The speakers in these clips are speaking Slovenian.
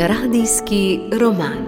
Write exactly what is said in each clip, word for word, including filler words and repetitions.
Radijski roman.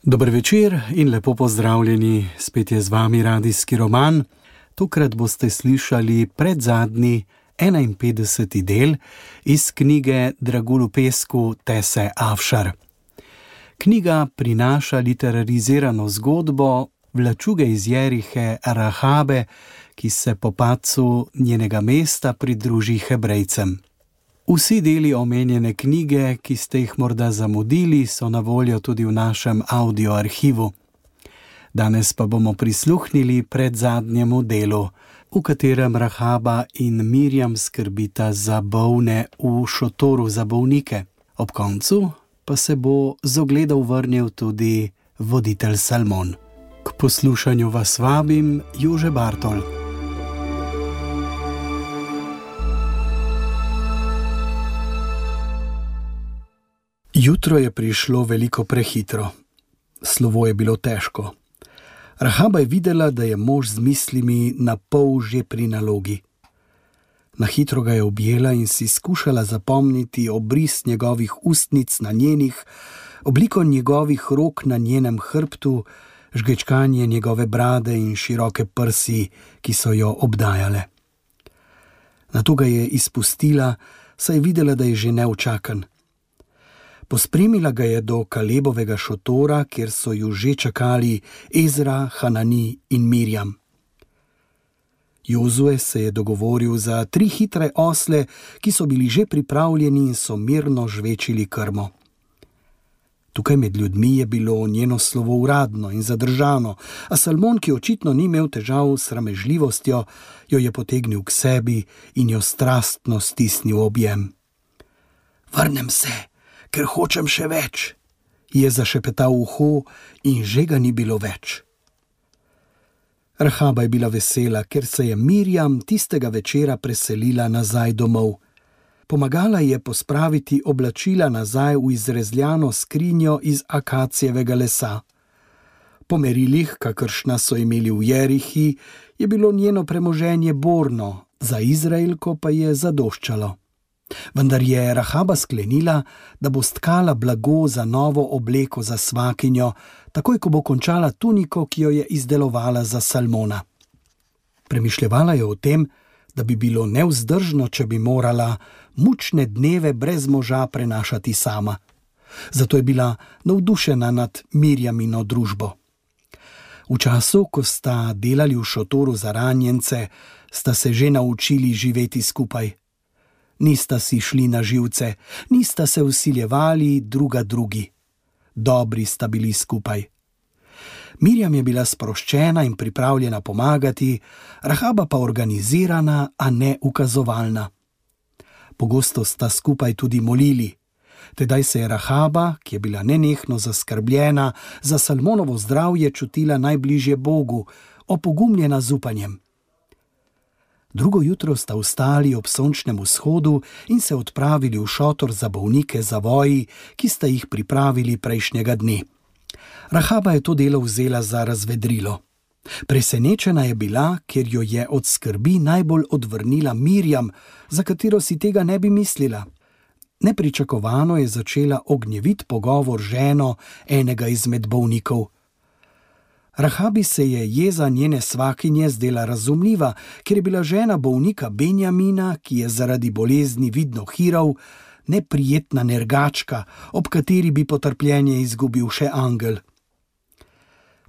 Dober večer in lepo pozdravljeni, spet je z vami Radijski roman. Tokrat boste slišali predzadnji enainpetdeseti del iz knjige Dragulj v pesku Tese Afšar. Knjiga prinaša literarizirano zgodbo vlačuge iz Jerihe Rahabe, ki se po padcu njenega mesta pridruži Hebrejcem. Vsi deli omenjene knjige, ki ste jih morda zamudili, so na voljo tudi v našem audio arhivu. Danes pa bomo prisluhnili predzadnjemu delu, v katerem Rahaba in Mirjam skrbita za bolne v šotoru za bolnike. Ob koncu pa se bo z ogledov vrnil tudi voditelj Salmon. K poslušanju vas vabim Jože Bartol. Jutro je prišlo veliko prehitro. Slovo je bilo težko. Rahaba je videla, da je mož z mislimi na pol že pri nalogi. Na hitro ga je objela in si skušala zapomniti obris njegovih ustnic na njenih, obliko njegovih rok na njenem hrbtu, žgečkanje njegove brade in široke prsi, ki so jo obdajale. Nato ga je izpustila, saj je videla, da je že neučakan. Pospremila ga je do Kalebovega šotora, kjer so ju že čakali Ezra, Hanani in Mirjam. Jozue se je dogovoril za tri hitre osle, ki so bili že pripravljeni in so mirno žvečili krmo. Tukaj med ljudmi je bilo njeno slovo uradno in zadržano, a Salmon, ki očitno ni imel težav s sramežljivostjo, jo je potegnil k sebi in jo strastno stisnil v objem. Vrnem se, ker hočem še več, je zašepetal v uho in že ga ni bilo več. Rahaba je bila vesela, ker se je Mirjam tistega večera preselila nazaj domov. Pomagala je pospraviti oblačila nazaj v izrezljano skrinjo iz akacijevega lesa. Po merilih, kakršna so imeli v Jerihi, je bilo njeno premoženje borno, za Izraelko pa je zadoščalo. Vendar je Rahaba sklenila, da bo stkala blago za novo obleko za svakinjo, takoj ko bo končala tuniko, ki jo je izdelovala za Salmona. Premišljevala je o tem, da bi bilo nevzdržno, če bi morala mučne dneve brez moža prenašati sama. Zato je bila navdušena nad Mirjamino družbo. V času, ko sta delali v šotoru za ranjence, sta se že naučili živeti skupaj. Nista si šli na živce, nista se vsiljevali druga drugi. Dobri sta bili skupaj. Mirjam je bila sproščena in pripravljena pomagati, Rahaba pa organizirana, a ne ukazovalna. Pogosto sta skupaj tudi molili. Tedaj se je Rahaba, ki je bila nenehno zaskrbljena za Salmonovo zdravje, čutila najbližje Bogu, opogumljena z upanjem. Drugo jutro sta vstali ob sončnem vzhodu in se odpravili v šotor za bolnike Zavoji, ki sta jih pripravili prejšnjega dne. Rahaba je to delo vzela za razvedrilo. Presenečena je bila, ker jo je od skrbi najbolj odvrnila Mirjam, za katero si tega ne bi mislila. Nepričakovano je začela ognjevit pogovor z ženo enega izmed bolnikov. Rahabi se je jeza njene svakinje zdela razumljiva, ker je bila žena bolnika Benjamina, ki je zaradi bolezni vidno hirav, neprijetna nergačka, ob kateri bi potrpljenje izgubil še angel.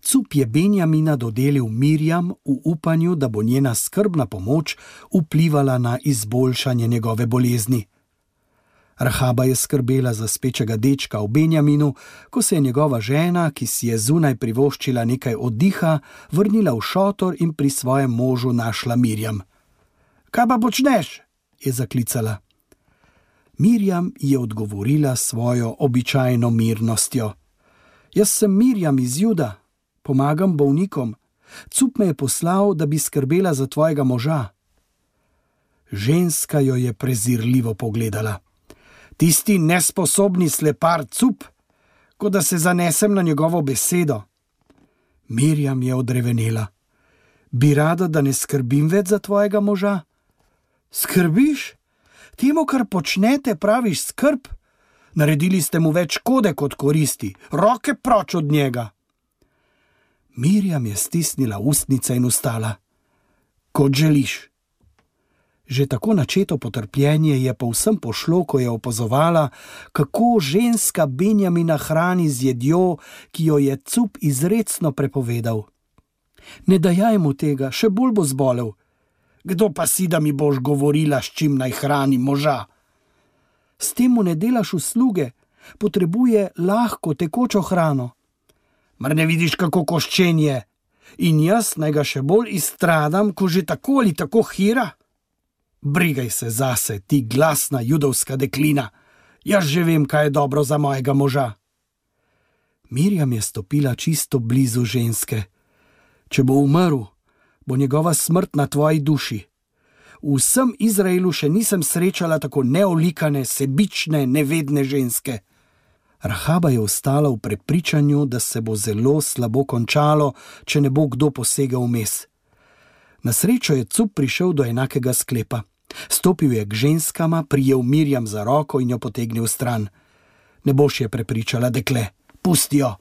Cup je Benjamina dodelil Mirjam v upanju, da bo njena skrbna pomoč vplivala na izboljšanje njegove bolezni. Rahaba je skrbela za spečega dečka v Benjaminu, ko se je njegova žena, ki si je zunaj privoščila nekaj oddiha, vrnila v šotor in pri svojem možu našla Mirjam. Kaj pa počneš? Je zaklicala. Mirjam je odgovorila svojo običajno mirnostjo. Jaz sem Mirjam iz Juda, pomagam bolnikom. Cup me je poslal, da bi skrbela za tvojega moža. Ženska jo je prezirljivo pogledala. Tisti nesposobni slepar Cup, kot da se zanesem na njegovo besedo. Mirjam je odrevenela. Bi rada, da ne skrbim več za tvojega moža? Skrbiš? Temu, kar počnete, praviš skrb? Naredili ste mu več škode kot koristi. Roke proč od njega! Mirjam je stisnila ustnice in vstala. Kot želiš. Že tako načeto potrpljenje je povsem pošlo, ko je opazovala, kako ženska Benjamina hrani z jedjo, ki jo je Cup izrecno prepovedal. Ne dajaj mu tega, še bolj bo zbolel. Kdo pa si, da mi boš govorila, s čim naj hrani moža? S tem mu ne delaš usluge, potrebuje lahko tekočo hrano. Mar ne vidiš, kako koščen je? In jaz naj ga še bolj izstradam, ko že tako ali tako hira? Brigaj se zase, ti glasna judovska deklina. Jaz že vem, kaj je dobro za mojega moža. Mirjam je stopila čisto blizu ženske. Če bo umrl, bo njegova smrt na tvoji duši. V vsem Izraelu še nisem srečala tako neolikane, sebične, nevedne ženske. Rahaba je ostala v prepričanju, da se bo zelo slabo končalo, če ne bo kdo posegel vmes. Na srečo je Cup prišel do enakega sklepa. Stopil je k ženskama, prijel Mirjam za roko in jo potegnil stran. Ne boš je prepričala, dekle, pusti jo.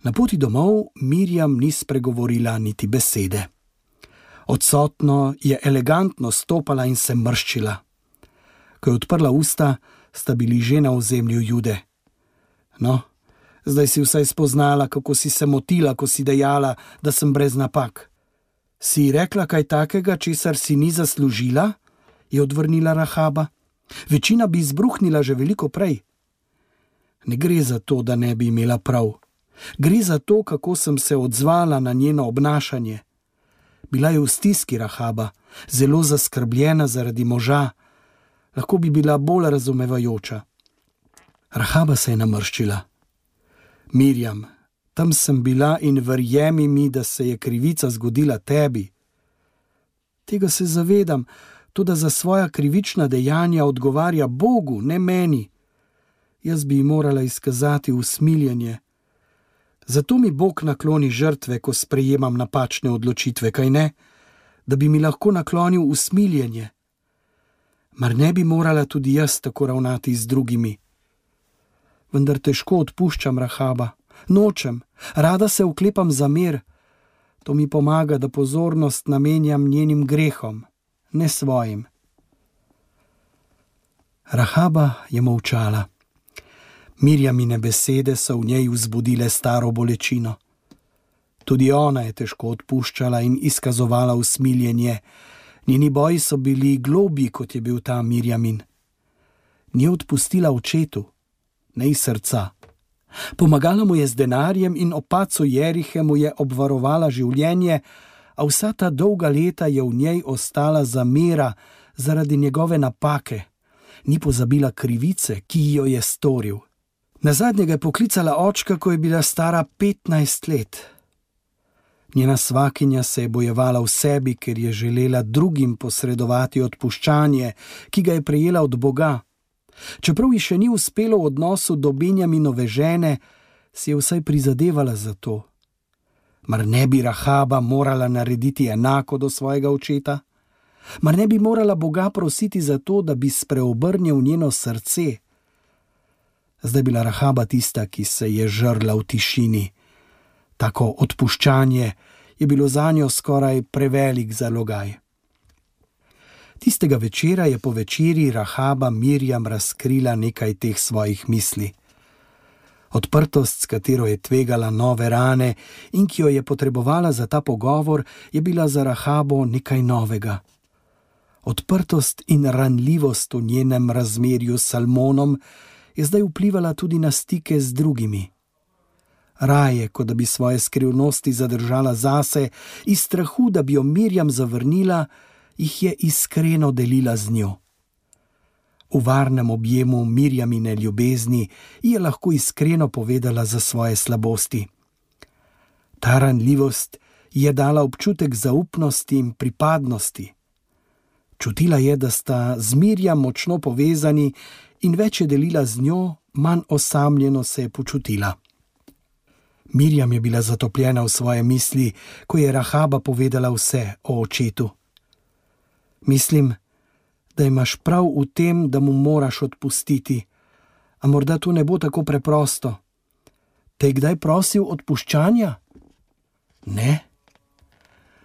Na poti domov Mirjam ni spregovorila niti besede. Odsotno je elegantno stopala in se mrščila. Ko je odprla usta, sta bili že na ozemlju Jude. No, zdaj si vsaj spoznala, kako si se motila, ko si dejala, da sem brez napak. Si rekla kaj takega, česar si ni zaslužila? Je odvrnila Rahaba. Večina bi izbruhnila že veliko prej. Ne gre za to, da ne bi imela prav. Gre za to, kako sem se odzvala na njeno obnašanje. Bila je v stiski Rahaba, zelo zaskrbljena zaradi moža. Lahko bi bila bolj razumevajoča. Rahaba se je namrščila. Mirjam, tam sem bila in verjemi mi, da se je krivica zgodila tebi. Tega se zavedam, toda za svoja krivična dejanja odgovarja Bogu, ne meni. Jaz bi ji morala izkazati usmiljenje. Zato mi Bog nakloni žrtve, ko sprejemam napačne odločitve, kaj ne? Da bi mi lahko naklonil usmiljenje. Mar ne bi morala tudi jaz tako ravnati z drugimi? Vendar težko odpuščam, Rahaba. Nočem, rada se oklepam za mir. To mi pomaga, da pozornost namenjam njenim grehom, ne svojim. Rahaba je molčala. Mirjamine besede so v njej vzbudile staro bolečino. Tudi ona je težko odpuščala in izkazovala usmiljenje. Njeni boji so bili globji, kot je bil ta Mirjamin. Ni odpustila očetu, ne iz srca. Pomagala mu je z denarjem in ob padcu Jerihe mu je obvarovala življenje, a vsa ta dolga leta je v njej ostala zamera zaradi njegove napake. Ni pozabila krivice, ki jo je storil. Nazadnje ga je poklicala očka, ko je bila stara petnajst let. Njena svakinja se je bojevala v sebi, ker je želela drugim posredovati odpuščanje, ki ga je prejela od Boga. Čeprav ji še ni uspelo v odnosu do Benjaminove žene, si je vsaj prizadevala za to. Mar ne bi Rahaba morala narediti enako do svojega očeta? Mar ne bi morala Boga prositi za to, da bi spreobrnil njeno srce? Zdaj bila Rahaba tista, ki se je žrla v tišini. Tako odpuščanje je bilo zanjo skoraj prevelik zalogaj. Tistega večera je po večeri Rahaba Mirjam razkrila nekaj teh svojih misli. Odprtost, s katero je tvegala nove rane in ki jo je potrebovala za ta pogovor, je bila za Rahabo nekaj novega. Odprtost in ranljivost v njenem razmerju s Salmonom je zdaj vplivala tudi na stike z drugimi. Raje, kot da bi svoje skrivnosti zadržala zase, iz strahu, da bi jo Mirjam zavrnila, jih je iskreno delila z njo. V varnem objemu Mirjamine ljubezni je lahko iskreno povedala za svoje slabosti. Ta ranljivost je dala občutek zaupnosti in pripadnosti. Čutila je, da sta z Mirjam močno povezani in več je delila z njo, manj osamljeno se je počutila. Mirjam je bila zatopljena v svoje misli, ko je Rahaba povedala vse o očetu. Mislim, da imaš prav v tem, da mu moraš odpustiti, a morda to ne bo tako preprosto. Te je kdaj prosil odpuščanja? Ne.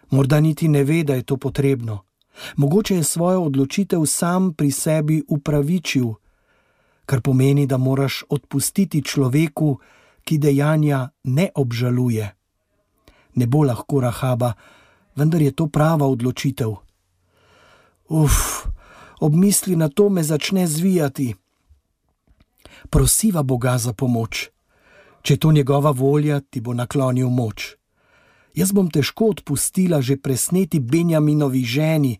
Morda niti ne ve, da je to potrebno. Mogoče je svojo odločitev sam pri sebi upravičil, kar pomeni, da moraš odpustiti človeku, ki dejanja ne obžaluje. Ne bo lahko, Rahaba, vendar je to prava odločitev. Uf, ob misli na to me začne zvijati. Prosiva Boga za pomoč. Če je to njegova volja, ti bo naklonil moč. Jaz bom težko odpustila že presneti Benjaminovi ženi.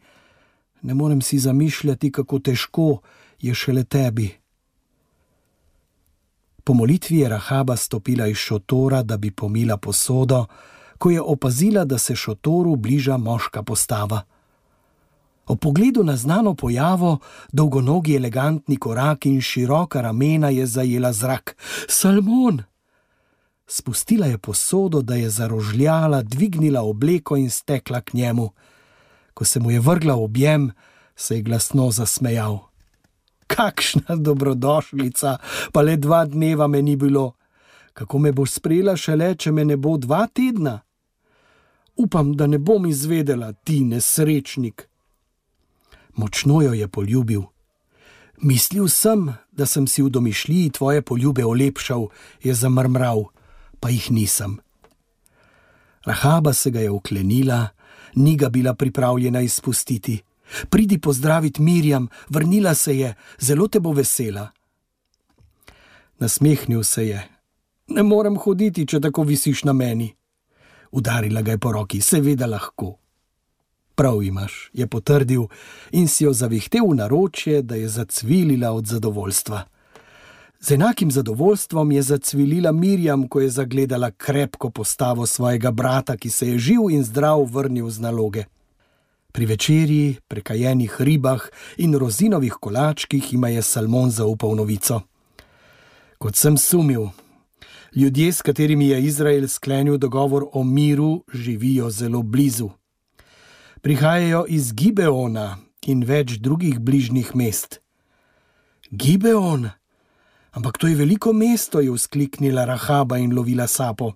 Ne morem si zamišljati, kako težko je šele tebi. Po molitvi je Rahaba stopila iz šotora, da bi pomila posodo, ko je opazila, da se šotoru bliža moška postava. Ob pogledu na znano pojavo, dolgonogi elegantni korak in široka ramena je zajela zrak. Salmon! Spustila je posodo, da je zarožljala, dvignila obleko in stekla k njemu. Ko se mu je vrgla v objem, se je glasno zasmejal. Kakšna dobrodošlica, pa le dva dneva me ni bilo. Kako me boš sprejela šele, če me ne bo dva tedna? Upam, da ne bom izvedela, ti nesrečnik. Močno jo je poljubil. Mislil sem, da sem si v domišljiji tvoje poljube olepšal, je zamrmral, pa jih nisem. Rahaba se ga je uklenila, ni ga bila pripravljena izpustiti. Pridi pozdravit Mirjam, vrnila se je, zelo te bo vesela. Nasmehnil se je. Ne morem hoditi, če tako visiš na meni. Udarila ga je po roki, seveda lahko. Prav imaš, je potrdil in si jo zavihtel v naročje, da je zacvilila od zadovoljstva. Z enakim zadovoljstvom je zacvilila Mirjam, ko je zagledala krepko postavo svojega brata, ki se je živ in zdrav vrnil z naloge. Pri večerji, prekajenih ribah in rozinovih kolačkih ima je Salmon zaupal novico. Kot sem sumil, ljudje, s katerimi je Izrael sklenil dogovor o miru, živijo zelo blizu. Prihajajo iz Gibeona in več drugih bližnjih mest. Gibeon? Ampak to je veliko mesto, je vzkliknila Rahaba in lovila sapo.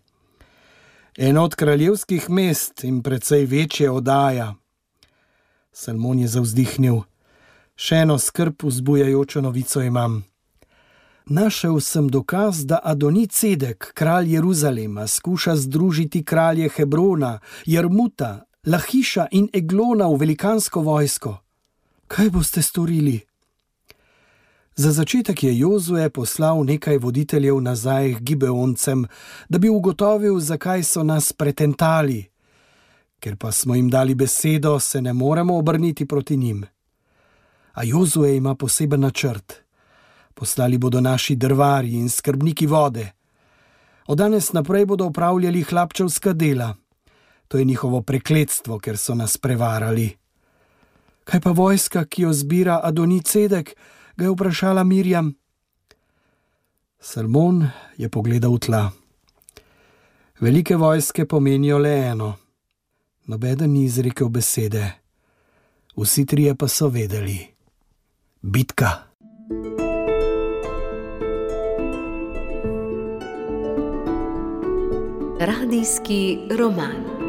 Eno od kraljevskih mest in precej večje odaja. Salmon je zavzdihnil. Še eno skrb vzbujajočo novico imam. Našel sem dokaz, da Adoni-Cedek, kralj Jeruzalema, skuša združiti kralje Hebrona, Jarmuta, Lahiša in Eglona v velikansko vojsko. Kaj boste storili? Za začetek je Jozue poslal nekaj voditeljev nazaj k Gibeoncem, da bi ugotovil, zakaj so nas pretentali. Ker pa smo jim dali besedo, se ne moremo obrniti proti njim. A Jozue ima poseben načrt. Poslali bodo naši drvarji in skrbniki vode. Od danes naprej bodo opravljali hlapčevska dela. To je njihovo prekletstvo, ker so nas prevarali. Kaj pa vojska, ki jo zbira Adoni-Cedek, ga je vprašala Mirjam. Salmon je pogledal v tla. Velike vojske pomenijo le eno. Nobeden ni izrekel besede. Vsi trije pa so vedeli. Bitka. Radijski roman.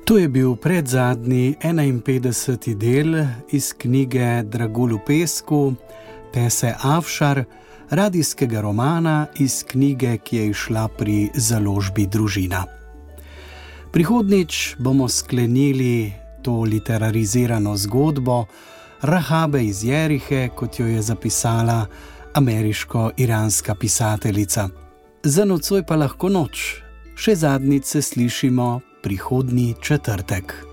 To je bil predzadnji enainpetdeseti del iz knjige Dragulj v pesku, Pese Avšar, radijskega romana iz knjige, ki je izšla pri založbi Družina. Prihodnjič bomo sklenili to literarizirano zgodbo Rahabe iz Jerihe, kot jo je zapisala ameriško-iranska pisateljica. Za nocoj pa lahko noč. Še zadnjič se slišimo prihodnji četrtek.